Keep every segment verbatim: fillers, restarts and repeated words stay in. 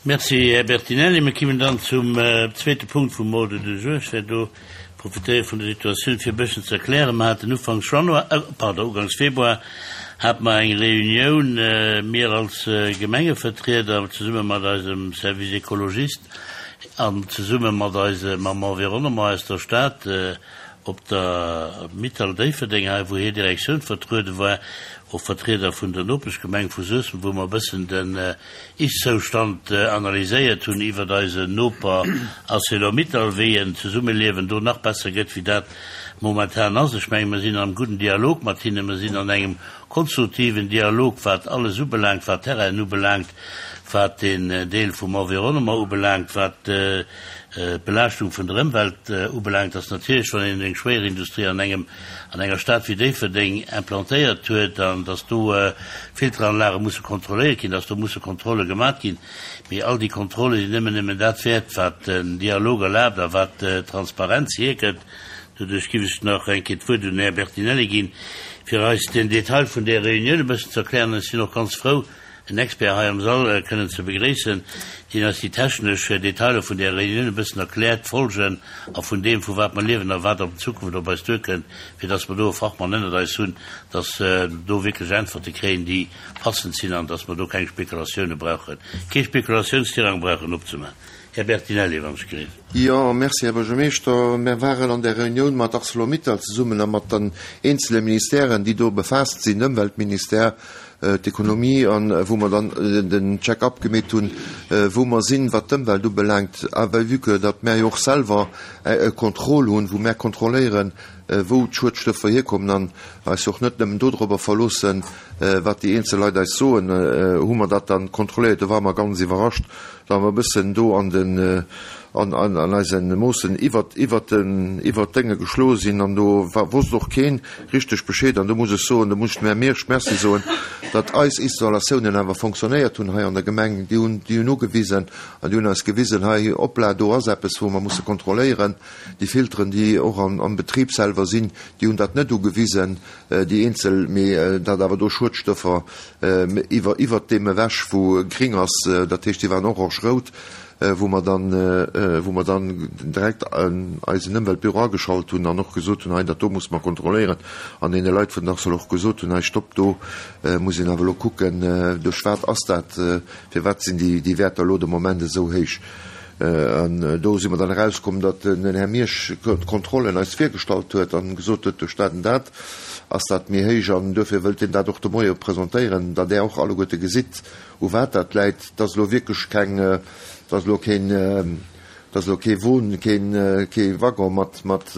Merci, Här Bertinelli. Mir kommen dann zum äh, zweete Punkt vum Ordre du jour. Ech wäert do profitéiere vun der Situatioun, fir e bëssen ze erklären. Mir haten Ufanks Januar, äh, pardon, Uganks Februar, hate mer eng Reunioun, äh, mir als äh, Gemengevertrieder, zesumme mat eisem Service Ecologiste an zesumme mat eisem mam Environnement aus der Stad, äh, op der Mittal Déifferdeng hei, wou hir Direktioun vertruede war, och Vertrieder vun der Nopeschgemeng vu Suessem, wou mer e bëssen den Ist-Zoustand analyséiert hunn iwwert eisen Noper Arcelor-Mittal, wéi en Zesummeliewen do nach besser gëtt, wéi dat momentan ass. Ech menge mer sinn am gudden Dialog mat hinnen, mer sinn an engem konstruktiven Dialog, wat alles ubelaangt, wat Terrainen ubelaangt, wat den Deel vum Environnement ubelaangt, wat d'Belaaschtung vun der Ëmwelt ubelaangt, ass natierlech, wann een eng Schwéierindustrie an engem, an enger Stad wéi Déifferdeng implantéiert huet, an dass do Filteranlage musse kontrolléiert ginn, dass do musse Kontrolle gemat ginn. Mee all déi Kontrolle sinn nëmmen nëmmen dat wäert, wat den Dialog erlaabt a wat Transparenz hierkënnt. Doduerch giff ech nach eng Kéier d'Wuert un den Här Bertinelli ginn, fir eis den Detail vun där Reunioun e bëssen ze erklären. Ech sinn och ganz frou, en Expert hei am Sall kënnen ze begréissen, deen eis déi technesch Detailer vun där Reunioun e bëssen erkläert, d'Folgen a vun deem, vu wat mer liewen a wat op Zukunft op eis duerkënnt, fir dass mer do e Fachmann ënnert eis hunn, dass do wierklech Äntwerte kréien, déi passend sinn an dass mer do keng Spekulatioune brauchen, kee Spekulatiounsterrain brauchen opzemaachen. Här Bertinelli, wann ech gleef. Jo, merci, Här Buergermeeschter. Mär waren an där Reunioun mat Arcelor-Mittal zesummen a mat den eenzele Ministèren, déi do befaasst sinn, Ëmweltministère, d'Ekonomie, a wou mer dann den Check-up gemeet hunn, wou mer sinn, wat d'Ëmwelt ubelaangt, a well vue que datt mär jo och selwer e Contrôle hunn, wou mär kontrolléieren, wou d'Schuedstoffer hierkommen an eis jo och net nëmmen dodrobber verloossen, wat déi eenzel Leit eis soen, hu mer dat dann kontrolléiert. Do ware mer ganz iwwerrascht, da mer e bëssen do an den, an, an, an eise Moossen iwwert, iwwert den, iwwert d'Dénge geschloe sinn an do war, wosst och keen richteg Bescheed. An do muss ech soen, do muss ech dem Här Miersch Merci soen, datt eis Installatiounen awer fonctionnéiert hunn hei an der Gemeng. Déi hunn, déi hunn ugewisen an déi hunn eis gewisen, hei, hoppla, do ass eppes, wou mer musse kontrolléieren. Déi Filteren, déi och am, am Betrib selwer sinn, déi hunn dat net ugewisen, déi eenzel, mee datt awer do Schuedstoffer iwwer, iwwert deem ewech, wou gring ass, dat heescht, déi waren orange-rout, wou mer dann, wou mer dann direkt eisen Ëmweltbüro ageschalt hunn an och gesot hunn, hei, dat do musse mer kontrolléieren, an deene Leit vun Arcelor och gesot hunn, hei, stopp, do muss een awer elo kucken, duerch wat ass dat, firwat sinn déi, déi Wäerter elo de Moment esou héich. An do si mer dann erauskomm, datt den Här Miersch d'Kontrollen eis virgestallt huet an gesot huet, duerch dat an dat ass dat méi héich an duerfir wëllt hien dat och de Moie presentéieren, datt Der och alleguerte gesitt, u wat dat läit. Et ass elo wierklech keng, et ass elo keen, et ass elo kee Won, keen, kee Waggon mat, mat,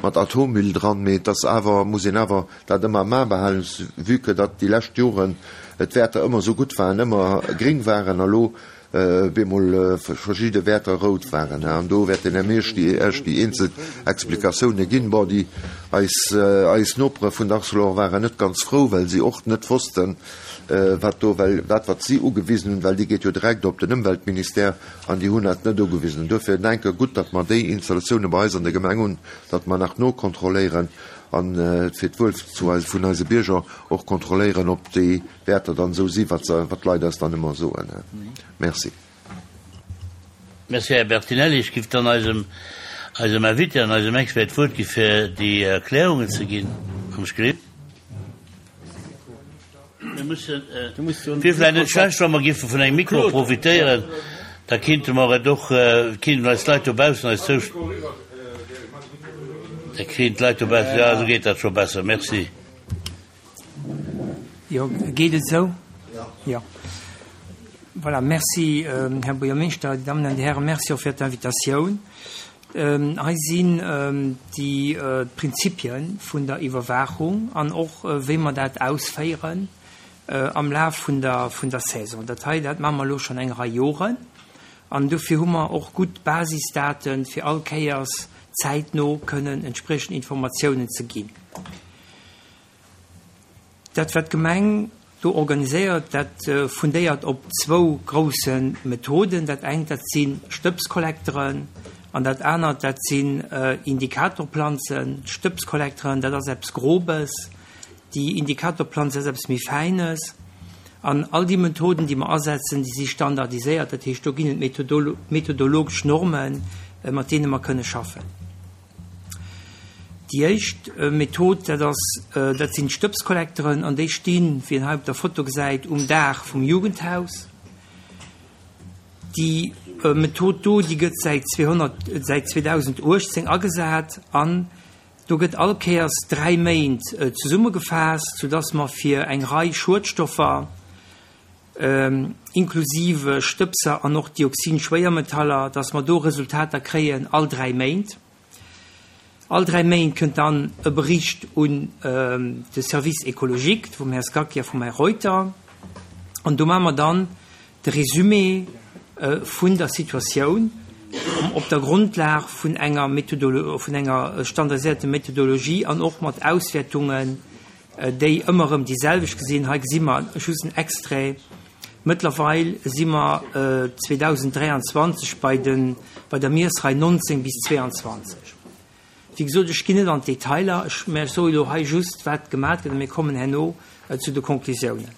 mat Atommüll dran, mee et ass awer, muss een awer dat ëmmer am A behalen, vue que datt déi lescht Joren d'Wäerter ëmmer esou gutt waren, ëmmer gréng waren a lo bemol verschidde Wäerter rout waren. An do wäert den Här Miersch déi Iech déi eenzel Explikatioune ginn. Bon, déi eis, eis Nopere vun der Arcelor waren net ganz frou, well si och net wossten, wat do, well dat, wat si ugewisen hunn, well déi geet jo direkt op den Ëmweltministère, an déi hunn dat net ugewisen. An duerfir denke gutt, datt mer déi Installatioune bei eis an der Gemeng hunn, datt mer nach nokontrolléieren an fir d'Wuel zu eis, vun eise Bierger och kontrolléieren, ob déi Wäerter dann esou si wat se, wat d'Leit eis dann ëmmer soen. Merci. Merci, Här Bertinelli. Ech giff dann eisem, eisem Invité an eisem Expert d'Wuert gi fir déi Erklärungen ze ginn. Wann ech gleef. Mir mussen, wier vläicht net schlecht, wa mer giffe vun engem Mikro profitéieren, da kinnte mer et och, kinnten eis Leit dobaussen eis zou, da kriegen d'Leit dobaussen, jo, esou geet dat scho besser, merci. Jo, geet et esou? Jo. Voilà, merci, Här Buergermeeschter, Dir Dammen an Dir Hären, merci och fir d'Invitatioun. Hei sinn déi d'Prinzipie vun der Iwwerwaachung an och wéi mer dat ausféieren am Laf vun der vun der Saison. Dat hei, dat maache mer elo schonn eng Rei Joren an dofir hu mer och gutt Basisdaten, fir all Kéiers zäitno kënnen entspriechend Informatiounen ze ginn. Dat, wat d'Gemeng do organiséiert, dat fundéiert op zwou grousse Methoden. Dat engt, dat si Stëbskollekteren an dat anert, dat sinn Indikatorplanzen. D'Stëbskollekteren, dat ass eppes Grobes, déi Indikatorplanz ass eppes méi Fäines. An all déi Methoden, déi mer asetzen, déi si standardiséiert, dat heescht, do ginn et methodologesch Normen, mat deene mer kënne schaffen. Déi éischt Method, dat ass, dat sinn d'Stëbskollekteren, an déi stinn, wéi een hei op der Foto gesäit, um Daach vum Jugendhaus. Déi Method do, déi gëtt säit zweehonnert, säit zweedausenduechtzéng agesat an do gëtt all Kéiers dräi Méint zesummegefaasst, soudass mer fir eng Rei Schuedstoffer, inklusive Stëbser an och Dioxin-Schwéiermetaller, dass mer do Resultater kréien all dräi Méint. All dräi Méint kënnt dann e Bericht un de Service écologique vum Här Scacchi a vum Här Reuter. An do maache mer dann de Résumé vun der Situatioun op der Grondlag vun enger Methodolo-, vun enger standardisierter Methodologie an och mat Auswäertungen, déi ëmmer erëm déi selwecht gesinn. Hei gesi mer just en Extrait. Mëttlerweil si mer zweedausenddräianzwanzeg bei den, bei der Miessrei nonzéng bis zweeanzwanzeg. Wéi gesot, ech ginn net an d'Detailer, ech, mä ech soe elo hei just, wat gemat gëtt, a mir kommen herno zu de Konklusiounen.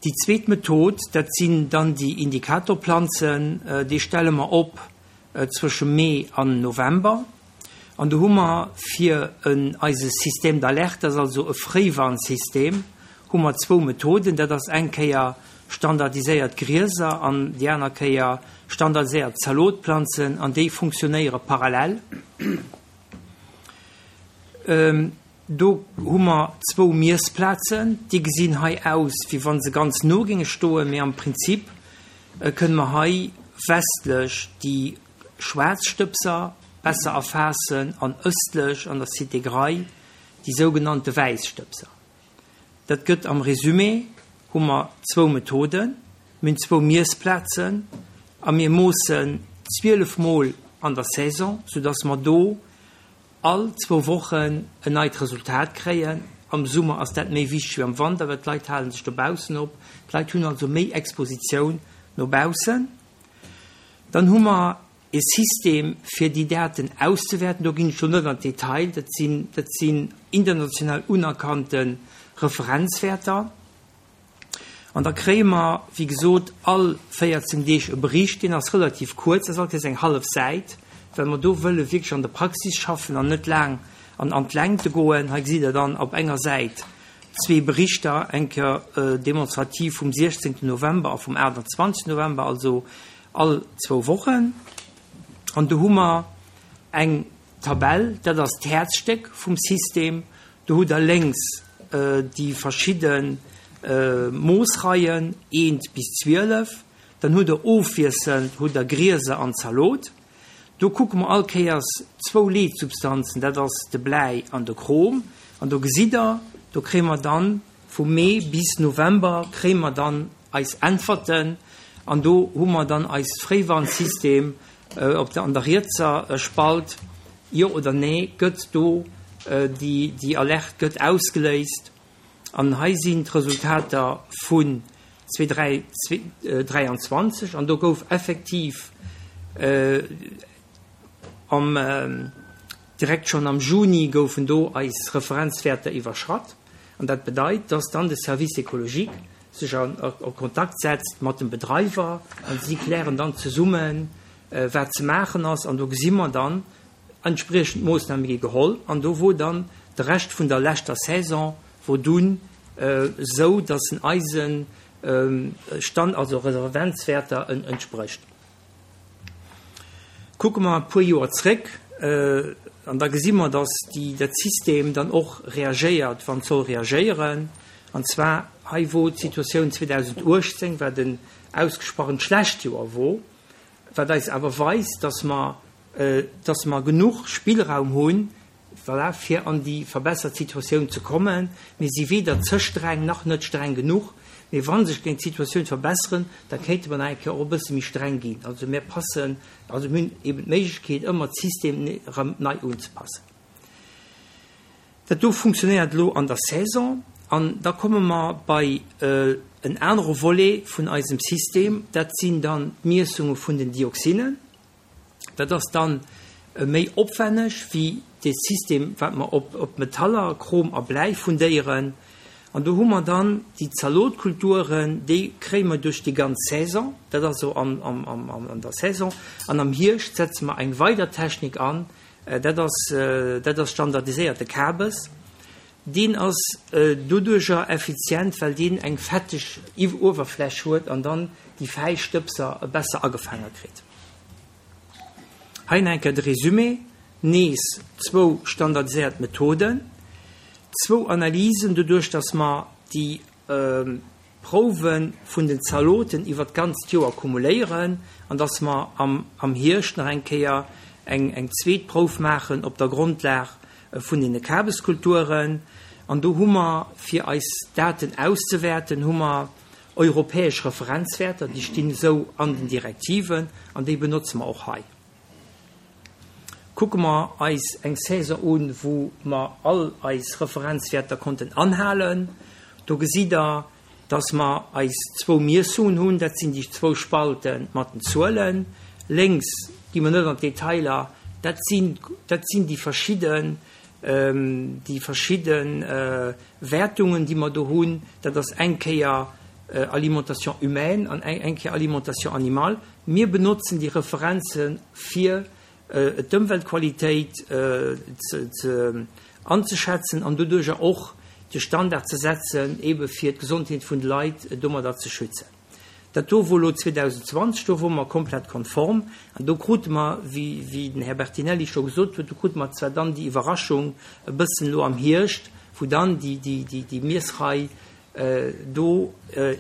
Déi zweet Method, dat sinn dann déi Indikatorplanzen, déi stelle mer op zwësche Mee an November. An do hu mer fir en eise Système d'alerte, dat ass also e Fréiwarnsystem, hu mer zwou Methoden. Dat ass eng Kéier standardiséiert Grieser an déi aner Kéier standardiséiert Zalotplanzen, an déi funktionéiere parallel. Do hu mer zwou Miessplazen, déi gesinn hei aus, wéi wa se ganz no géinge stoen, mee am Prinzip kënne mer hei westlech déi schwaarz Stëbser besser erfaassen an ëstlech an der Cité Graille déi sougenannte wäiss Stëbser. Dat gëtt am Résumé, hu mer zwou Methoden, mir hunn zwou Miessplazen a mir moossen zwielef Mol an der Saison, soudass mer do all zwou Wochen en neit Resultat kréien. Am Summer ass dat méi wichteg wéi am Wanter, well d'Leit hale sech dobaussen op. D'Leit hunn also méi Expositioun no baussen. Dann hu mer e System, fir déi Daten auszewäerten. Do ginn ech elo net an d'Detail, dat sinn, dat sinn international unerkannte Referenzwäerter. An da kréie mer, wéi gesot, all véierzéng Deeg e Bericht, deen ass relativ kuerz, dat ass alt eng hallef Säit, well mer do wëlle wierklech an der Praxis schaffen an net laang an, an d'Längte goen. Hei gesitt Der dann op enger Säit zwee Berichter, eng Kéier demonstrativ vum siechzéngten November a vum aachtanzwanzegsten November, also all zwou Wochen. An do hu mer eng Tabell, dat ass d'Häerzstéck vum System. Do hutt Der lénks déi verschidde Moossreien, eent bis zwielef. Dann hutt Der ofwiesselnd hutt Der Grieser an Zalot. Do kucke mer all Kéiers zwou Leetsubstanzen, dat ass de Bläi an de Chrom. An do gesitt Der, do kréie mer dann vu Mee bis November kréie mer dann eis Äntwerten. An do hu mer dann eist Fréiwarnsystem op der, an der rietser Spalt, jo oder nee, gëtt do déi, déi Alerte gëtt ausgeléist. An hei sinn d'Resultater vun zweedräianzwanzeg, an do gouf effektiv am, direkt schonn am Juni goufen do eis Referenzwäerter iwwerschratt. An dat bedeit, dass dann de Service écologique sech a Kontakt setzt mat dem Bedreiwer an si klären dann zesummen, wat ze maachen ass. An do gesi mer dann, entspriechend Moossname gi geholl. An do wor dann de Rescht vun der leschter Saison wor dunn esou, dass en eise Stand, also Referenzwäerter entsprécht. Kucke mer e puer Joer zréck, an da gesi mer, dass déi, dat System dann och reagéiert, wann et soll reagéieren. An zwar hei wor d'Situatioun zweedausenduechtzéng, wat en ausgesprochen schlecht Joer wor, wat eis awer weist, dass mer, dass mer genuch Spillraum hunn, voilà, fir an déi verbessert Situatioun ze kommen. Mir si weder ze streng nach net streng genuch, mee wa sech géing d'Situatioun verbesseren, da kéinte mer nach eng Kéier och e bësse méi streng ginn. Also mir passen, also mir hunn eben d'Méiglechkeet, ëmmer d'System erëm nei unzepassen. Dat do funktionéiert elo an der Saison. An da komme mer bei en anere Volet vun eisem System, dat sinn dann d'Miessunge vun den Dioxinen. Dat ass dann méi opwenneg wéi dee System, wat mer op, op Metaller, Chrom a Bläi fundéieren. An do hu mer dann déi Zalotkulturen, déi kréie mer duerch déi ganz Saison, dat ass also am, am, am, an der Saison. An am Hierscht setze mer eng weider Technik an, dat ass, dat ass standardiséierte Kabes. Deen ass doduercher effizient, well deen eng fetteg Uewerfläch huet an dann déi fäi Stëbser besser agefaange kritt. Hei nach eng Kéier de Résumé, nees zwou standardiséiert Methoden, zwou Analysen, doduerch dass mer déi Prouwe vun den Zaloten iwwert d'ganzt Joer kumuléieren an dass mer am am Hierscht nach eng Kéier eng eng zweet Prouf maachen op der Grondlag vun deene Kabeskulturen. An do hu mer, fir eis Daten auszewäerten, hu mer europäesch Referenzwäerter, déi stinn esou an den Direktiven an déi benotze mer och hei. Kucke mer eis eng Saison un, wou mer all eis Referenzwäerter konnten anhalen. Do gesitt Der, dass mer eis zwou Miessungen hunn, dat sinn déi zwou Spalte mat den Zuelen. Lénks gi mer net an d'Detailer, dat sinn, dat sinn déi verschidden, déi verschidde Wäertungen, déi mer do hunn. Dat ass eng Kéier Alimentation humaine an eng Kéier Alimentation animale. Mir benotzen déi Referenze fir d'Ëmweltqualitéit ze anzeschätzen an doduerjer och de Standard ze setzen, ebe fir d'Gesondheet vun de Leit domadder ze schützen. Dat do wor elo zweedausendzwanzeg, do wore mer komplett konform an do krute mer, wéi den Här Bertinelli scho gesot huet, do krute mer zwar dann déi Iwwerraschung e bëssen elo am Hierscht, wou dann déi Miessrei do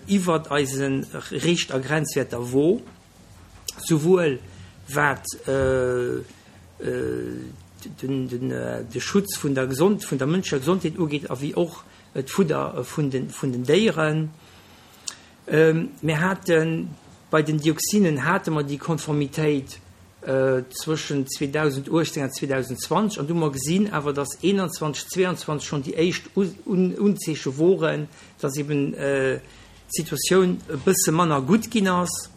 iwwert eise Richt a Grenzwäerter wor, souwuel wat de Schutz vun der vun der mënschlecher Gesondheet ugeet a wéi och d'Fudder vun den vun den Déieren. Mir hate bei den Dioxinen hate mer déi Konformitéit zwëschen zweedausenduechtzéng an zweedausendzwanzeg an du hu mer gesinn awer, datt eenanzwanzeg, zweeanzwanzeg schonn déi éischt Unzeeche woren, datt eben d'Situatioun e bësse manner gutt ginn ass.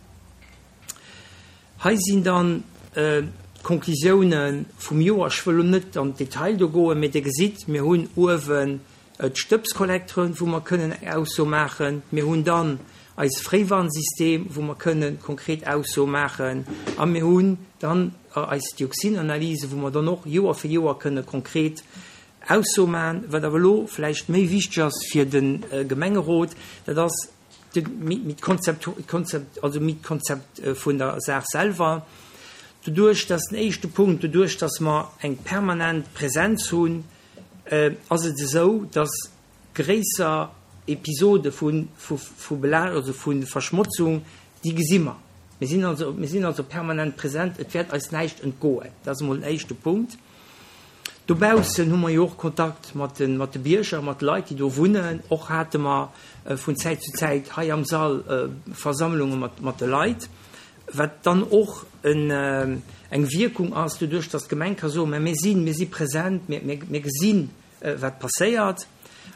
Hei sinn dann d'Konklusiounen vum Joer. Ech wëll elo net an d'Detail do goen, mee Dir gesitt, mir hunn uewen d'Stëbskollektoren, wou mer kënnen eng Ausso maachen. Mir hunn dann eis Fréiwarnsystem, wou mer kënnen konkret Aussoe maachen. A mir hunn dann eis Dioxinanalyse, wou mer dann och Joer fir Joer kënne konkret Aussoe maachen. Wat awer elo vläicht méi wichteg ass fir de Gemengerot, dat ass, méi d'Konzept, Konzept, also méi d'Konzept vun der Saach selwer. Doduerch, dass den éischte Punkt, doduerch, dass mer eng permanent Präsenz hunn, ass et esou, dass gréisser Episode vu, vu, vu Bela, also vu Verschmotzung, déi gesi mer. Mir sinn also, mir sinn also permanent präsent, et wäert eis näischt entgoen. Dat ass emol den éischte Punkt. Dobaussen hu mer jo och Kontakt mat de, mat de Bierger, mat de Leit, déi do wunnen. Och hate mer vun Zäit zu Zäit hei am Sall Versammlunge mat, mat de Leit, wat dann och en, eng Wierkung ass, doduerch datt d'Gemeng ka soen, mä mir sinn, mir si present, mir, mir, mir gesinn, wat passéiert.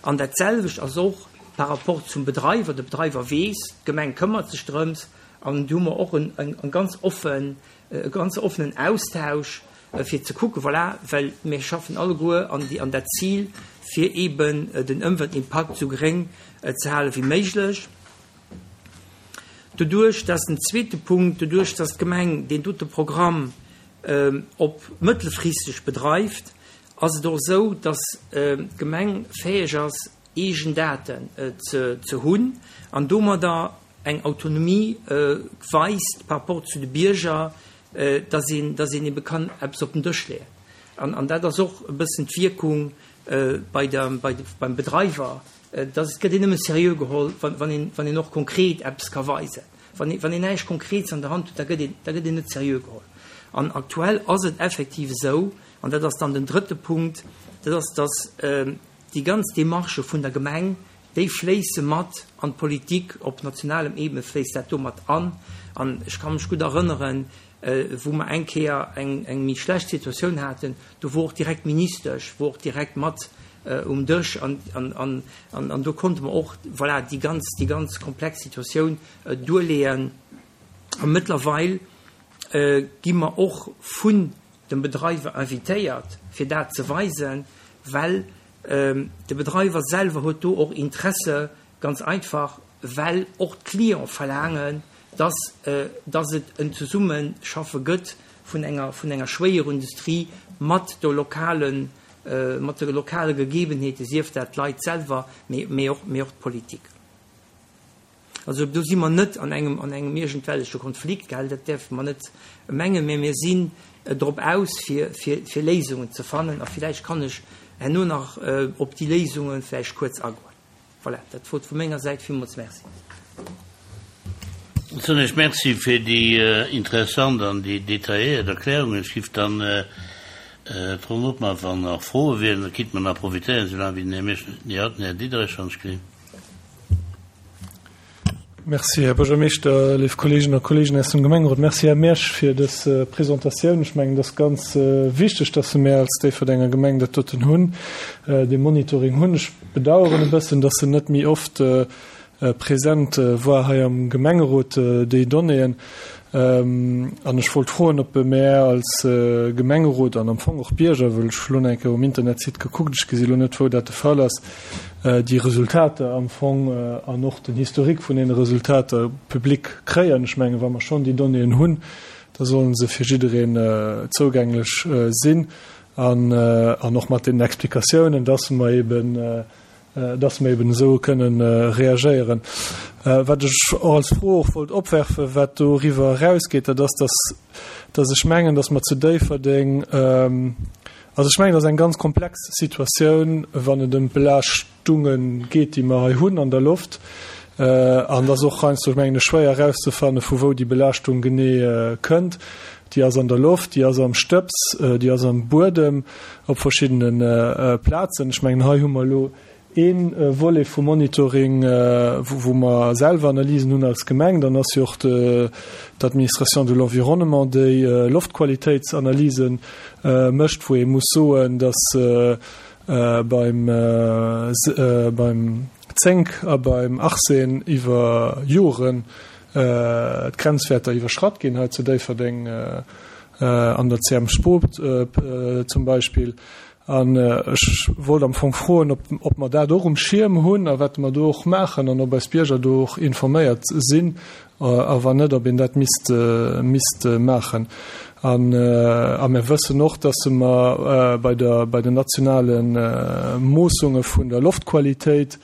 An dat selwecht ass och par rapport zum Bedreiwer. De Bedreiwer weess, d'Gemeng këmmert sech drëms. An do hu mer och en, en, en ganz offen, e ganz offenen Austausch, fir ze kucken, voilà, well mir schaffen alleguer an déi, an dat Zil, fir eeben den Ëmweltimpakt esou geréng ze hale wéi méiglech. Doduerch, dat ass den zweete Punkt, doduerch, dass d'Gemeng deen dote Programm op mëttelfristeg bedreift, ass et och esou, dass d'Gemeng fäeg ass, eegen Daten ze, ze hunn an domadder eng Autonomie weist par rapport zu de Bierger, dass een, dass een ebe kann eppes op den Dësch leeën. An, an dat ass och e bëssen d'Wierkung bei der, bei de, beim Bedreiwer, dass et gëtt een nëmme seriö geholl, wann, wann een, wann een och konkret eppes ka weisen. Wann een, wann een näischt Konkrets an der Hand huet, da gëtt een, da gëtt een net seriö geholl. An aktuell ass et effektiv esou, an dat ass dann den drëtte Punkt, dat ass, dass déi ganz Démarchë vun der Gemeng, déi fléisse mat an d'Politik, op nationalem Ebene fléisst dat do mat an. An ech ka mech gutt erënneren, wou mer eng Kéier eng, eng méi schlecht Situatioun haten, do wor och direkt d'Ministesch wor och direkt mat um Dësch an, an, an, an, an do konnte mer och, voilà, déi ganz, déi ganz komplex Situatioun duerleeën. A mëttlerweil gi mer och vun dem Bedreiwer invitéiert, fir dat ze weisen, well De Bedreiwer selwer huet do och Interesse, ganz einfach, well och d'Clienten verlaangen, dass, dass et en Zesummeschaffe gëtt vun enger, vun enger Schwéierindustrie mat de lokalen, mat de lokale Gegebenheete, sief dat d'Leit selwer, mee, mee och, mee och d'Politik. Also do si mer net an engem, an engem iergendwelleche Konflikt, gell, dat däerfe mer net mengen, mee mir sinn drop aus, fir, fir, fir Léisungen ze fannen a villäicht kann ech herno nach op déi Léisunge vläicht kuerz agoen. Voilà, dat wor et vu menger Säit. Villmools Merci. Soen ech Merci fir déi interessant an déi detailléiert Erklärungen. Ech giff dann d'Ronn opmaachen, wann nach Froe wieren. Da kinnt mer nach profitéieren, soulaang wéi den Här Miersch net méi hat. Den Här Diderich, wann ech gesinn. Merci, Här Buergermeeschter, léif Kolleeginnen a Kolleegen aus dem Gemengerot. Merci, Här Miersch, fir dës Presentatioun. Ech mengen, et ass ganz wichteg, dass mir als Déifferdenger Gemeng dat doten hunn, dee Monitoring hunn. Ech bedauern e bëssen, dass en net méi oft present war hei am Gemengerot, déi Donnéeën. An ech wollt froen, ob mär als Gemengerot an am Fong och Bierger, wëll ech hu lo nach eng Kéier um Internetsite gekuckt, ech gesi lo net, wou dat de Fall ass, déi Resultater am Fong an och den Historique vun deene Resultater public kréien. Ech mengen, wa mer schonn déi Donnéeën hunn, da solle se fir jiddereen zougänglech sinn an och mat deenen Explikatiounen, dass mer eben, dass mer eben esou kënnen reagéieren. Wat ech och als Fro och wollt opwerfen, wat doriwwer erausgeet, dat ass, dass, dass ech mengen, dass mer zu Déifferdeng, also ech mengen, dat ass eng ganz komplex Situatioun, wann et ëm d'Belaaschtunge geet, déi mer hei hunn an der Loft. An et ass och heiansdo, mengen ech, schwéier erauszefanne vu wou déi Belaaschtung genee kënnt. Déi ass an der Loft, déi ass am Stëbs, déi ass am Buedem op verschiddene Plazen. Ech mengen, hei hu mer elo ee Volet vum Monitoring, wou mer selwer Analysen hunn als Gemeng. Dann ass jo och d'Administration de l'environnement, déi Loftqualitéitsanalyse mécht, wou ee muss soen, dass beim Zénk a beim Arsen iwwer Joren d'Grenzwäerter iwwerschratt ginn hei zu Déifferdeng an der C M Sport zum Beispill. An ech wollt am Fong froen, ob, ob mer dat och um Schierm hunn a wat mer do och maachen an ob eis Bierger do och informéiert sinn a wann net, ob een dat misst, misst maachen. An, a mir wëssen och, dass mer bei der, bei den nationale Moossunge vun der Loftqualitéit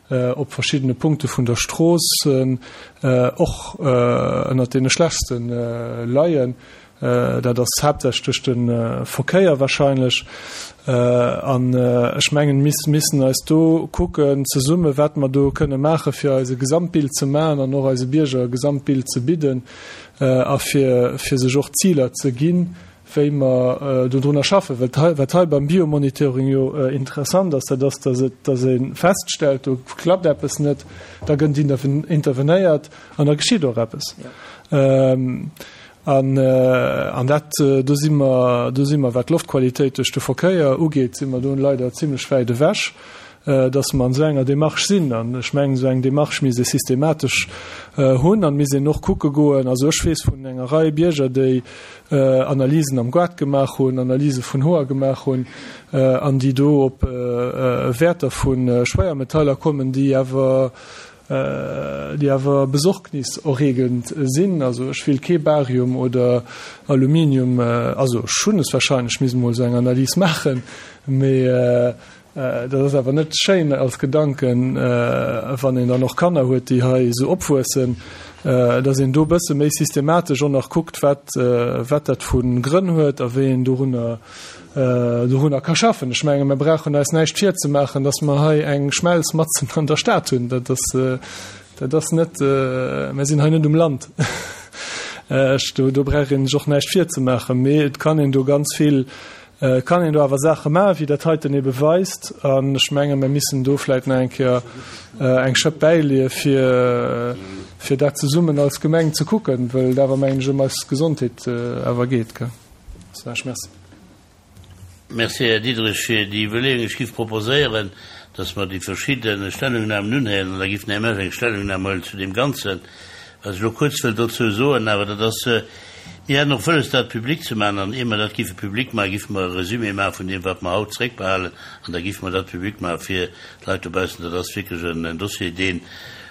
op verschiddene Punkte vun der Strooss och ënnert deene schlechtste leien. Dat ass haaptsächlech duerch de Verkéier wahrscheinlech. An ech mengen, mir missen eis do kucken zesumme, wat mer do kënne maachen, fir eis e Gesamtbild ze maachen an och eise Bierger e Gesamtbild ze bidden a fir, fir sech och Ziler ze ginn, wéi mer dodrunner schaffen. Well wat hei beim Biomonitoring jo interessant ass, dat ass, dass et, dass ee feststellt, do klappt eppes net, da gëtt intervenéiert an da geschitt och eppes. An, an dat, do si mer, do si mer, wat d'Loftqualitéit duerch de Verkéier ugeet, si mer do leider zimlech wäit ewech, dass mer an esou enger Démarche sinn. An ech mengen, esou eng Démarche misst ee systematesch hunn an misst een och kucke goen. Also ech weess vun enger Rei Bierger, déi Analysen am Gaart gemaach hunn, Analyse vun Hoer gemaach hunn an déi do op Wäerter vu Schwéiermetaller kommen, déi awer, déi awer besorgniserregend sinn. Also ech will kee Barium oder Aluminium, also ech hunn es wahrscheinlech, misst emol esou eng Analys maachen, mee dat ass awer net schéin als Gedanken, wann een dann och Kanner huet, déi hei esou opwuessen, dass een do e bësse méi systematesch och nach kuckt, wat wat dat vu Grënn huet a wéi een dorunner dorunner ka schaffen. Ech menge mer brauchen eis näischt virzemaachen, datt mer hei eng Schmelz matzen an der Stad hunn. Dat ass, dat ass net, mer sinn hei net um Land. Ech, do, do brauch een sech och näischt virzemaachen. Mee et kann een do ganz vill, kann een do awer Saache maachen, wéi dat heiten ebe weist. An ech menge mer missen do vläicht nach eng Kéier eng Schëpp bäileeë fir, fir dat zesummen als Gemeng ze kucken, wëll et awer, mengen ech, ëm eis Gesondheet awer geet, gell. Merci. Merci, Här Diderich, fir déi Iwwerleeung. Ech giff proposéieren, dass mer déi verschidde Stellungnahmen unhéieren an da giff den Här Mersch eng Stellungnahme huelen zu deem Ganzen. Wat ech elo kuerz wëll dozou soen, awer dat ass, Mir haten och wëlles, dat public ze maachen, an ier mer dat géife public maachen, géife mer e Resumé maache vun deem, wat mer haut zréckbehalen, an da géife mer dat public maache fir d'Leit dobaussen. Dat ass wierklech en Dossier, dee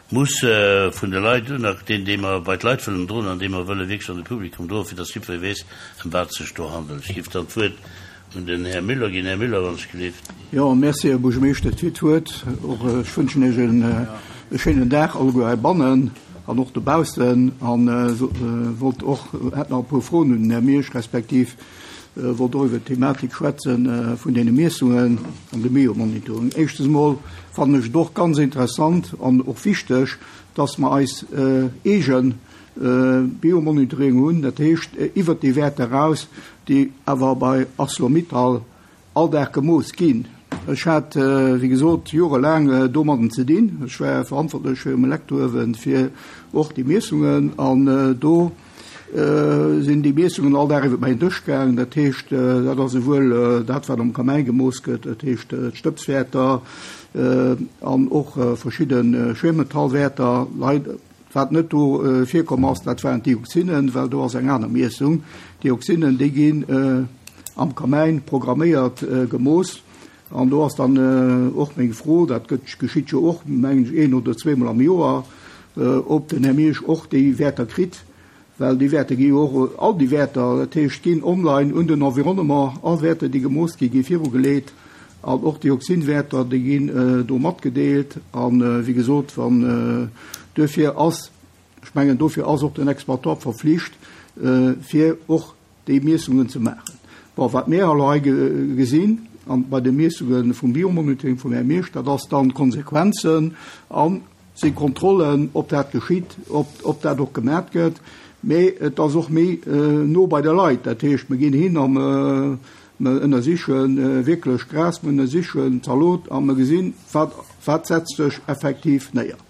muss vun de Leit, deen, dee mer bei d'Leit wëllen droen an dee mer wëlle wierklech an de Publikum droen, fir dass jiddweree weess, ëm wat et sech do handelt. Ech géif dann d'Wuert un den Här Müller ginn. Här Müller, wann ech gelift. Jo, merci, Här Buergermeeschter, fir d'Wuert. Och ech wënschen Iech e schéinen Dag alleguer heibannen an och dobaussen. A wollt och, hätt nach e puer Froen un den Här Miersch, respektiv wollt och iwwert d'Thematik schwätze vun deene Miessungen an dem Biomonitoring. Éischtens emol fannen ech et och ganz interessant an och wichteg, dass mer eis eegen Biomonitoring hunn, dat heescht iwwert déi Wäerter eraus, déi awer bei Arcelor-Mittal all Dag gemooss ginn. Ech hat, wéi gesot, jorelaang domadden ze dinn. Ech war verantwortlech fir um Elektrouewen fir och déi Miessungen an do sinn déi Miessungen all Dag iwwert mäin Dësch gaangen. Dat heescht, dat ass esouwuel dat, wat am Kamäin gemooss gëtt, dat heescht d'Stëbswäerter an och verschidde Schwermetallwäerter. Wat net do virkomm ass, dat waren d'Dioxinen, well do ass eng aner Miessung. D'Dioxinen, déi ginn am Kamäin programméiert gemooss. An do ass dann och meng Fro, dat gëtt, geschitt jo och, mengen ech, een oder zweemol am Joer, ob den Här Miersch och déi Wäerter kritt, well déi Wäerter gi jo och, all déi Wäerter, dat heescht, ginn online un den Environnement, all Wäerter, déi gemooss ginn, gi virugeleet. An och d'Dioxinwäerter, déi ginn do matgedeelt. A wéi gesot, wann duerfir ass, ech mengen, dofir ass och den Exploitant verflicht, fir och déi Miessungen ze maachen. Bon, wat mir elo hei gesinn an bei de Miessunge vum Biomonitoring vum Här Miersch, dat ass dann d'Konsequenzen a si Kontrollen, ob dat geschitt, ob, ob dat och gemat gëtt. Mee et ass och méi no bei de Leit. Dat heescht, mir ginn hin a mer ënnersiche wierklech Gras, mer ënnersichen Zalot a mer gesinn, wat, wat setzt sech effektiv néier.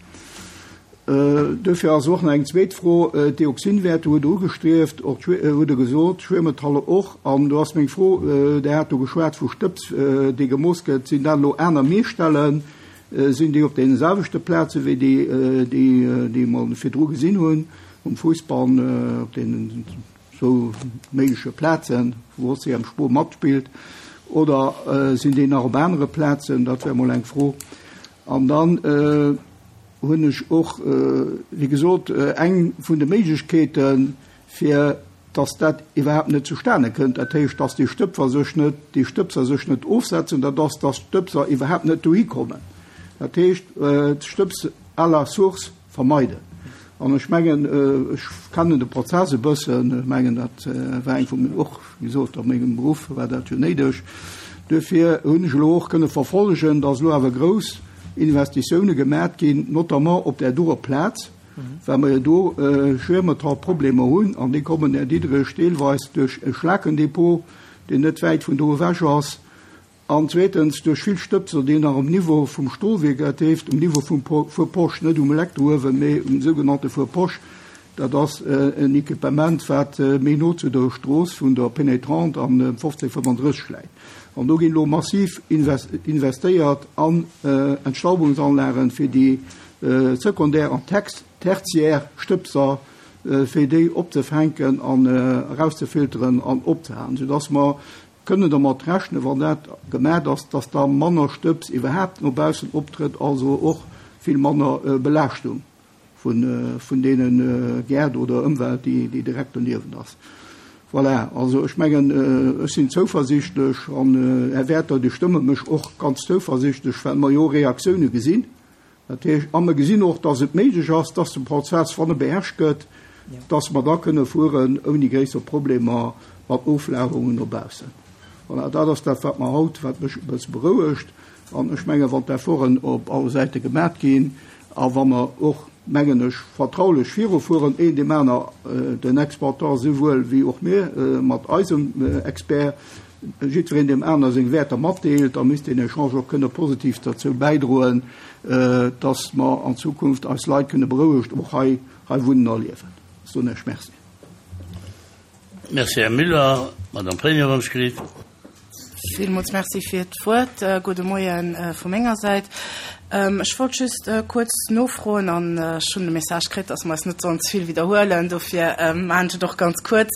Duerfir ass och nach eng zweet Fro, D'Dioxinwäerter hutt Der ugestrieft, och hutt Der gesot, d'Schwiermetaller och. An do ass meng Fro, Der hat do geschwat vu Stëbs, dee gemooss gëtt, sinn dat elo aner Meesstellen? Sinn déi op deene selwechte Plaze wéi déi, déi mer virdru gesinn hunn, um Fuussbann, op deenen zwou méigleche Plazen, wou O C M Spoo matspillt, oder sinn déi nach op anere Plazen? Dat wär mol eng Fro. An dann hunn ech och, wéi gesot, eng vun de Méiglechkeeten, fir dass dat iwwerhaapt net zustane kënnt, dat heescht, dass déi Stëbser sech net, déi Stëbser sech net ofsetzen, dat ass, dass d'Stëbser iwwerhaapt net dohi kommen. Dat heescht, d'Stëbs à la source vermeiden. An ech mengen, ech kennen de Prozess e bëssen, ech mengen, dat war eng vun, och, wéi gesot, a mengem Beruff war dat jo néideg. Duerfir hunn ech elo och kënne verfollegen, dass elo awer grouss Investitioune gemat ginn, notamment op där doer Plaz, well mer jo do Schwermetallproblemer hunn, an déi kommen, Här Diderich, deelweis duerch e Schlakendepot, deen net wäit vun do ewech ass, an zweetens duerch vill Stëbser, déi nach um Niveau vum Stolwierk, dat heescht um Niveau vum Four-Poche, net um Elektrouewen, mee um sougenannte Four-Poche, dat ass en Equipement, wat méi no zu der Strooss vun der Pénétrante an fofzéng fënnfandrësseg läit. An do ginn elo massiv investéiert an Entstaubungsanlagen fir déi sekundär an tertiär Stëbser, fir déi opzefänken an erauszefilteren an opzehalen, soudass mer kënnen dermat rechnen, wann dat gemat ass, dass da manner Stëbs iwwerhaapt no baussen optrëtt, also och vill manner Belaaschtung vun, vun deene Gäert oder Ëmwelt, déi, déi direkt doniewent ass. Voilà, also ech mengen, ech sinn zouversichtlech an Här Werther, Dir stëmme mech och ganz zouversichtlech, well mer jo Reaktioune gesinn. Dat heescht, a mer gesinn och, dass et méiglech ass, dass de Prozess, wann e beherrscht gëtt, dass mer da kënne fueren ouni gréisser Problemer mat Oflagerungen no baussen. Voilà, dat ass dat, wat mer haut, wat mech e bësse berouegt. An ech menge, wann d'Efforten op alle Säite gemat ginn a wa mer och, mengen ech, vertraulech virufueren, een deem aner, den Exploitant souwuel wéi och mir mat eisem Expert, jiddwereen deem aner seng Wäerter matdeelt, da misst deen Echange och kënne positiv derzou bäidroen, dass mer an Zukunft eis Leit kënne berouegt och hei, hei wunnen a liewen. Soen ech Merci. Merci, Här Müller. Madame Pregno, wann ech gelift. Villmools Merci fir d'Wuert. Gudde Moien vu menger Säit. Ech wollt just kuerz nofroen an ech hunn de Message kritt, dass mer eis net sollen ze vill widderhuelen, dofir maachen ech et och ganz kuerz.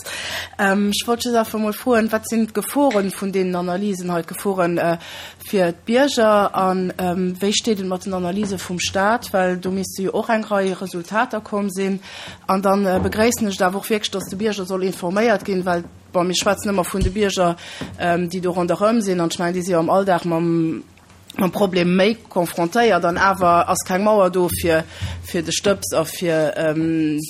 Ech wollt just einfach emol froen, Wat sinn d'Geforen vun deenen Analysen hei, d'Geforen fir d'Bierger a wéi steet et mat den Analyse vum Stat, well do misste jo och eng Rei Resultater komm sinn. An da begréissen ech et awer och wierklech, dass de Bierger soll informéiert ginn, well, bon, mir schwätzen ëmmer vun de Bierger, déi do ronderëm sinn, an ech mengen, déi si jo am Alldag mam, mam Problem méi konfrontéiert, an awer ass keng Mauer do fir, fir de Stëbs a fir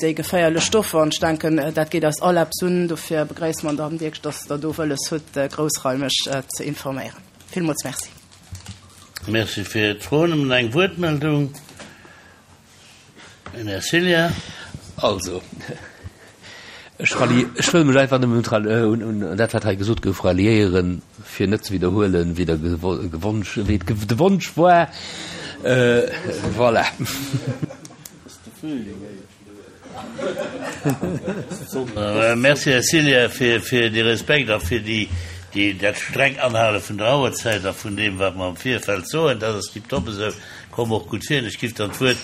déi geféierlech Stoffer. An ech denken, dat geet eis all eppes un. Dofir begréisse mer dann wierklech, dass Der do wëlles hutt, groussraimeg ze informéieren. Villmools Merci. Merci fir d'Froen. Nëmmen eng Wuertmeldung, den Här Cilla. Also, ech ralli-, ech wëll mech einfach nëmmen un, un, un dat, wat hei gesot gouf, ralliéieren, fir net ze widderhuelen, wéi der Gewonsch, wéi de Wonsch war. Voilà. Merci, Här Cilla, fir, fir dee Respekt a fir déi, déi, dat streng Anhale vun der Auerzäit a vun deem, wat mer am Virfeld soen. Dat ass tiptop esou. Komm och gutt vir. Ech giff dann d'Wuert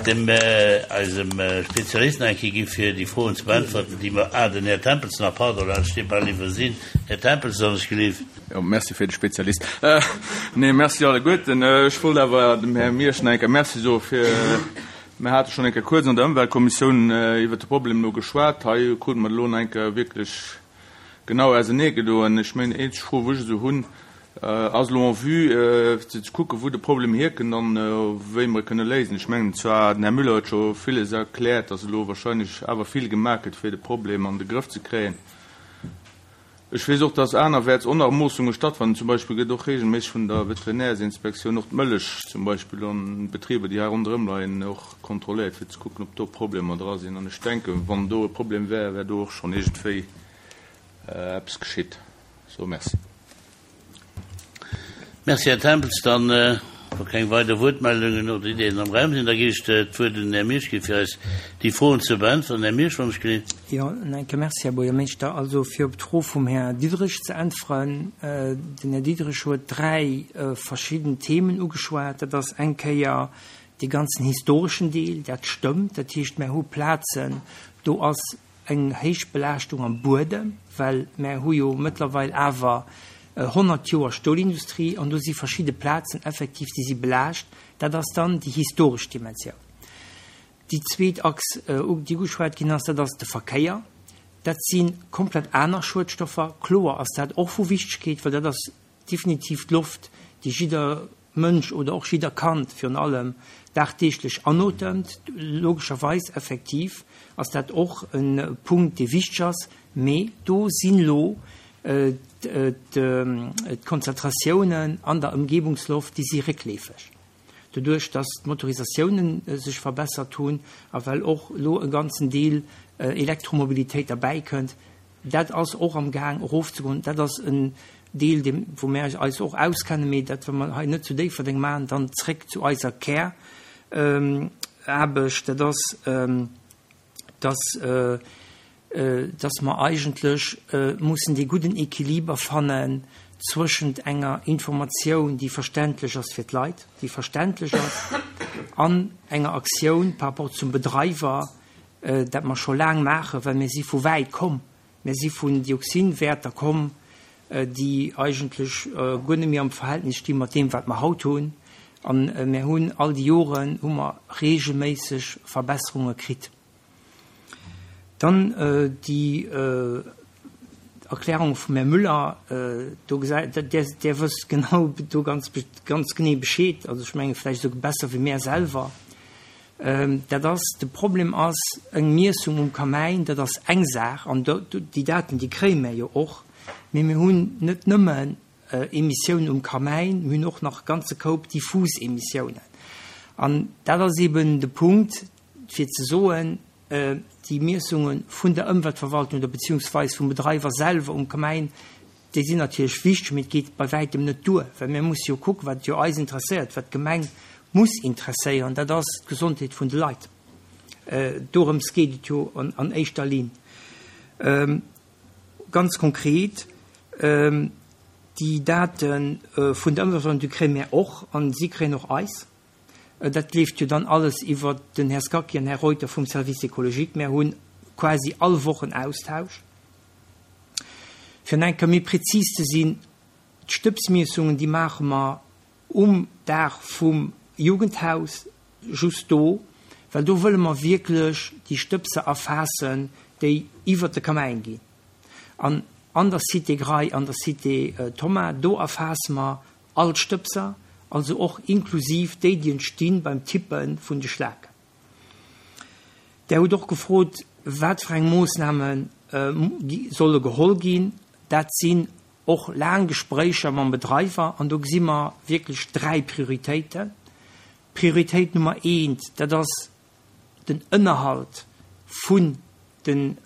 dem eisem Spezialist nach eng Kéier gi fir déi Froen ze beäntwerten, déi mer, ah, den Här Tempels nach, pardon, dat steet bal iwwersinn. Här Tempels, wann ech gelift. Jo, merci fir de Spezialist. Nee, merci alleguerten. Ech wollt awer dem Här Miersch nach eng Kéier Merci soe fir, mir hate schonn eng Kéier kuerz an der Ëmweltkommissioun iwwert de Problem elo geschwat. Hei krute mer et elo nach eng Kéier wierklech genau auserneegedoen. Ech mengen, déi eenzeg Fro, wou ech esou hunn, ass elo en vue, fir ze kucken, wou de Problem hierkënnt an wéi mer e kënne léisen. Ech mengen zwar, den Här Müller huet scho villes erkläert, dass elo wahrscheinlech awer vill gemaach gëtt, fir de Problem an de Grëff ze kréien. Ech weess och, dass anerwäerts och nach Moossunge stattfannen. Zum Beispill gëtt och regelméisseg vun der Veterinärsinspektioun och d'Mëllech zum Beispill an Betriber, déi hei ronderëm leien, och kontrolléiert, fir ze kucken, ob do Problemer dra sinn. An ech denken, wann do e Problem wär, wär do och schonn iergendwéi eppes geschitt. So, merci. Merci, Här Tempels. Dann, wa keng weider Wuertmeldungen oder Ideeën am Raum sinn, da ginn ech d'Wuert un den Här Miersch fir eis déi Froen ze beäntweren. Här Miersch, wann ech gelift. Jo, en enke Merci, Här Buergermeeschter. Also, fir op d'Fro vum Här Diderich ze äntweren, Den Här Diderich huet dräi verschidden Themen ugeschwat. Dat ass eng Kéier dee ganzen historeschen Deel, dat stëmmt. Dat heescht, mer hu Plazen, do ass eng héich Belaaschtung am Buedem, well mer hu jo mëttlerweil awer honnert Joer Stolindustrie an do si verschidde Plazen effektiv, déi si belaascht. Dat ass dann déi historesch Dimensioun. Déi zweet Achs, déi ugeschwat ginn ass, dat ass de Verkéier. Dat si komplett aner Schuedstoffer. Kloer ass dat och vu Wichtegkeet, well dat ass definitiv d'Loft, déi jidder Mënsch oder och jidder Kand virun allem dagdeeglech anotemt. Logescherweis, effektiv ass dat och e Punkt, dee wichteg ass, mee do sinn elo d'Konzentratiounen an der Ëmgebungsloft, déi si réckleefeg, doduerch datt d'Motorisatiounen sech verbessert hunn a well och elo e ganzen Deel Elektromobilitéit derbäikënnt. Dat ass och am Gaang erofzegoen. Dat ass en Deel, dee wou mir eis och auskennen, mee dat wëlle mer hei net zu Déifferdeng maachen. Dann zréck zu eiser Käraarbecht, dat ass, dass dass mer eigentlech mussen dee gudden Equiliber fannen zwëschent enger Informatioun, déi verständlech ass fir d'Leit, déi verständlech ass, an enger Aktioun par rapport zum Bedreiwer, dat mer scho laang maachen, well mir si vu wäit komm. Mir si vun Dioxinwäerter komm, déi eigentlech guer net méi am Verhältnis sti mat deem, wat mer haut hunn. A mir hunn all déi Joren hu mer regelméisseg Verbesserunge kritt. Dann déi Erklärung vum Här Müller, do gesäit, Dir, Dir wësst genau do ganz, ganz genee Bescheed, also ech menge vläicht esouguer besser wéi mär selwer. Dat ass, de Problem ass, eng Miessung um Kamäin, dat ass eng Saach, an do, déi Daten, déi kréie mär jo och, mee mir hunn net nëmmen Emissiounen um Kamäin, mir hunn och nach e ganze Koup diffus Emissiounen. An dat ass eeben de Punkt, fir ze soen, déi Miessunge vun der Ëmweltverwaltung oder beziehungsweis vum Bedreiwer selwer um Kamäin, déi sinn natierlech wichteg, mee et geet bei wäitem net duer, well mir musse jo kucken, wat jo eis interesséiert, wat d'Gemeng muss interesséieren, dat ass d'Gesondheet vun de Leit. Dorëms geet et jo an éischter Linn. Ganz konkret, déi Date vun der Ëmweltverwaltung, déi kréie mir och, a si kréien och eis. Dat leeft jo dann alles iwwer den Här Scacchi an Här Reuter vum Service écologique. Mir hunn quasi all Woch en Austausch. Fir nach eng Kéier méi prezis ze sinn, D'Stëbsmiessungen, déi maache mer um Daach vum Jugendhaus, just do, well do wëlle mer wierklech déi Stëbser erfaassen, déi iwwert de Kamäin ginn. An an der Cité Grail, an der Cité Thomas, do erfaasse mer all d'Stëbser, also och inklusiv déi, déi entsti beim Tippe vun de Schlaken. Der hutt och gefrot, wat fir eng Moossname solle geholl ginn. Dat sinn och laang Gespréicher mam Bedreiwer an do gesi mer wierklech dräi Prioritéiten. Prioritéit Nummer eent, dat ass den Ënnerhalt vun den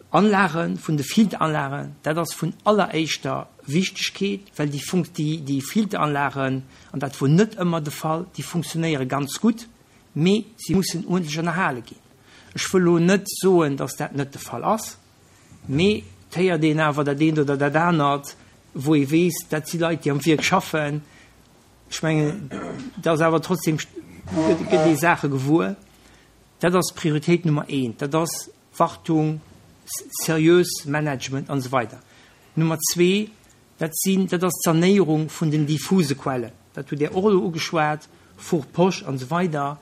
Anlagen, vun de Filteranlagen. Dat ass vun alleréischter Wichtegkeet, well déi Funk-, déi, déi Filteranlagen, an dat wor net ëmmer de Fall, déi funktionéiere ganz gutt, mee si mussen uerdentlech ënnerhale ginn. Ech wëll elo net soen, dass dat net de Fall ass, mee et héiert een awer dat eent oder dat anert, wou ee weess, dat si Leit, déi am Wierk schaffen. Ech mengen, et ass awer trotzdem, gëtt ee Saache gewuer. Dat ass Prioritéit Nummer eent, dat ass Wartung, seriös Management an esou weider. Nummer zwee, dat sinn, dat ass d'Sanéierung vun den diffuse Quellen. Dat hutt Dir och elo ugeschwat, Four Posch an esou weider.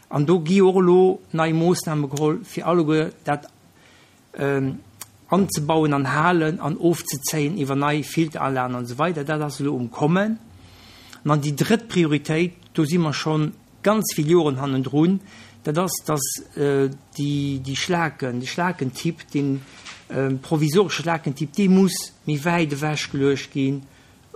An do gi och elo nei Moossname geholl, fir alleguer dat anzebauen an Halen an ofzezéien iwwer nei Filteranlagen an esou weider. Dat ass elo um Kommen. An dann déi drëtt Prioritéit, do si mer scho ganz vill Joren hannendrun, dat ass, dass déi, déi Schlaken, de Schlakentipp, dee provisoresche Schlakentipp, dee muss méi wäit ewech geluecht gi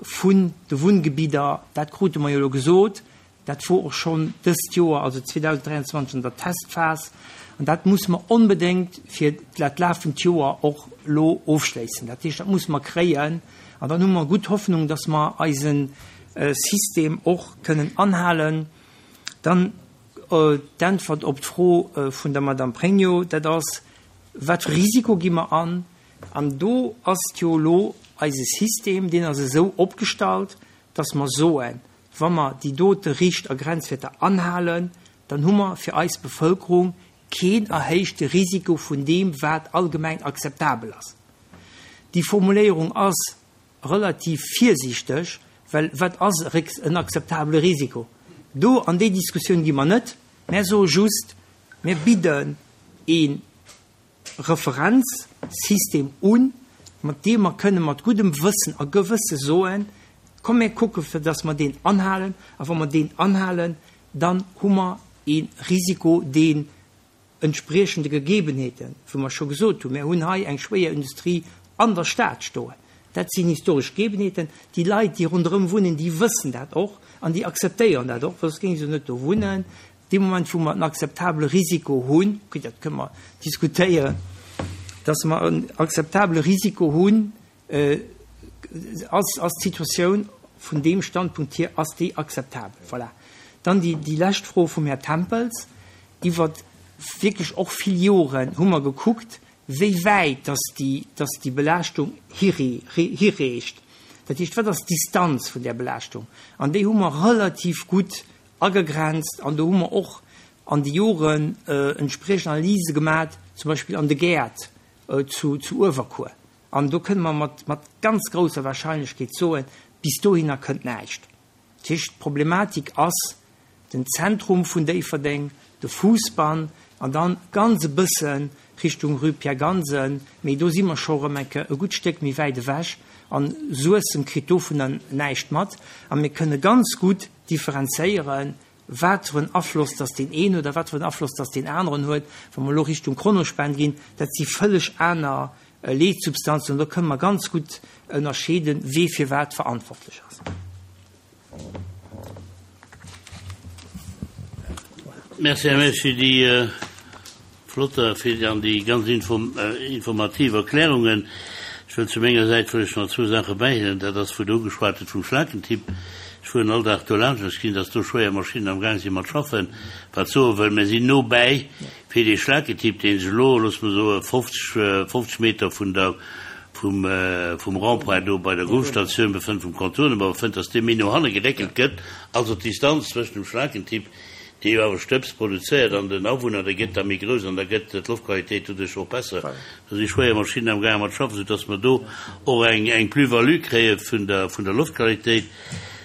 vun de Wunngebidder. Dat krute mer jo elo gesot. Dat wor och schonn dëst Joer, also zweedausenddräianzwanzeg, an der Testphas. An dat musse mer onbedéngt fir dat lafend Joer och elo ofschléissen. Dat heescht, dat musse mer kréien. An dann hu mer gutt Hoffnung, dass mer eise System och kënnen anhalen. Dann d'Äntwert op d'Fro vun der Madame Pregno, dat ass, Wat fir Risiko gi mer an? An do ass et jo elo eise System, deen ass esou opgestallt, dass mer soen, Wa mer déi dote Richt a Grenzwäerter anhalen, dann hu mer fir eis Bevëlkerung keen erhéichte Risiko vun deem, wat allgemeng akzeptabel ass. Déi Formuléierung ass relativ virsiichteg, well wat ass en akzeptabele Risiko? Do an déi Diskussioun gi mer net. Mär soe just, mir bidden ee Referenzsystem un, mat deem mer kënne mat guddem Wëssen a Gewësse soen, Komm mir kucke fir datt mer deen anhalen, a wa mer deen anhalen, dann hu mer ee Risiko, deen entspriechend de Gegebenheeten, wou mer scho gesot hunn, mir hunn hei eng schwéier Industrie an der Stad stoen, dat sinn historesch Gegebenheeten, déi Leit, déi ronderëm wunnen, déi wëssen dat och an déi akzeptéieren dat och, well soss géinge se net do wunnen. Dee Moment, wou mer en akzeptabele Risiko hunn, okay, dat kënne mer diskutéieren, datt mer en akzeptabele Risiko hunn, Ass, ass d'Situatioun vun deem Standpunkt hier, ass déi akzeptabel? Voilà. Dann déi, déi lescht Fro vum Här Tempels. Iwwer wierklech och vill Joren hu mer gekuckt, wéi wäit dass déi, dass déi Belaaschtung hiree, hireecht. Dat heescht, wat ass d'Distanz vun där Belaaschtung? An déi hu mer relativ gutt agegrenzt an do hu mer och an de Joren entspriechend Analyse gemat, zum Beispill an de Gäert zu, zu Uewerkuer. An do kënne mer mat, mat ganz grousser Wahrscheinlechkeet soen, bis dohinner kënnt näischt. Dat heescht, d'Problematik ass den Zentrum vun Déifferdeng, de Fousbann an dann ganz e bësse Richtung Rue Pierre Gansen, mee do si mer scho erëm eng Kéier e gutt Stéck méi wäit ewech an Suessem kritt dovunner näischt mat. A mir kënne ganz gutt differenzéieren, wat fir en Afloss dass deen een oder wat fir en Afloss dass deen aneren huet. Wa mer elo Richtung Kronospan ginn, dat si vëlleg aner Leetsubstanzen, do kënne mer ganz gutt ënnerscheeden, wee fir wat verantwortlech ass. Merci, Här Meisch, fir déi flott a fir an déi ganz informativ Erklärungen. Ech wëll zu menger Säit wëll ech nach zwou Saache bäihuelen. Dat ass, wou Der ugeschwat hutt vum Schlakentipp. Ech fueren all Dag do laanscht an ech gesinn, dass do schwéier Maschinnen am Gaang si mat schaffen, wat soe wëll, mir sinn no bäi fir dee Schlakentipp, dee sech elo, loosse mer soen, fofzeg, fofzeg Meter vun der, vum, vum Rond-point do bei der Gouvstatioun befënnt, vum Contournement befënnt, dass dee méi no hanne geréckelt gëtt, also d'Distanz zwëschen dem Schlakentipp, dee jo awer Stëbs produzéiert, an den Awunner, déi gëtt da méi grouss an da gëtt d'Loftqualitéit doduerch och besser. Do si schwéier Maschinnen am gaange mat schaffen, soudass mer do och eng, eng Plus-value kréie vun der, vun der Loftqualitéit.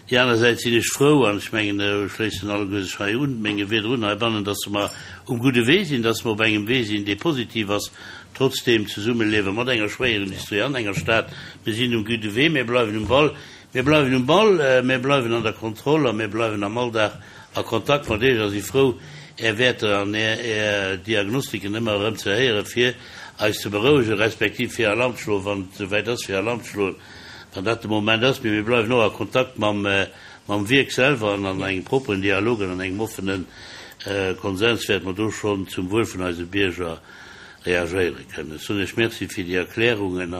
Déi aner Säit sinn ech frou, an ech mengen, ech schléissen alleguer sech hei un menge Wierder un heibannen, dass mer um gudde Wee sinn, dass mer op engem Wee sinn, dee positiv ass, trotz deem Zesummeliewe mat enger Schwéierindustrie an enger Stad. Mir sinn um gudde Wee, mir bleiwen um Ball, mir bleiwen um Ball, mir bleiwen an der Kontroll a mir bleiwen am Alldag a Kontakt mat Iech a si frou, Är Wäerter an Är, Är Diagnostiken ëmmer erëm ze héieren, fir eis ze berouegen, respektiv fir Alarm ze schloen, wann et esouwäit ass, fir Alarm ze schloen, wann dat de Moment ass. Mee mir bleiwen och a Kontakt mam, mam Wierk selwer an an engem propperen Dialog an an engem offene Konsens wäerte mer do schonn zum Wuel vun eise Bierger reagéiere kënnen. Ech soen Iech Merci fir déi Erklärungen.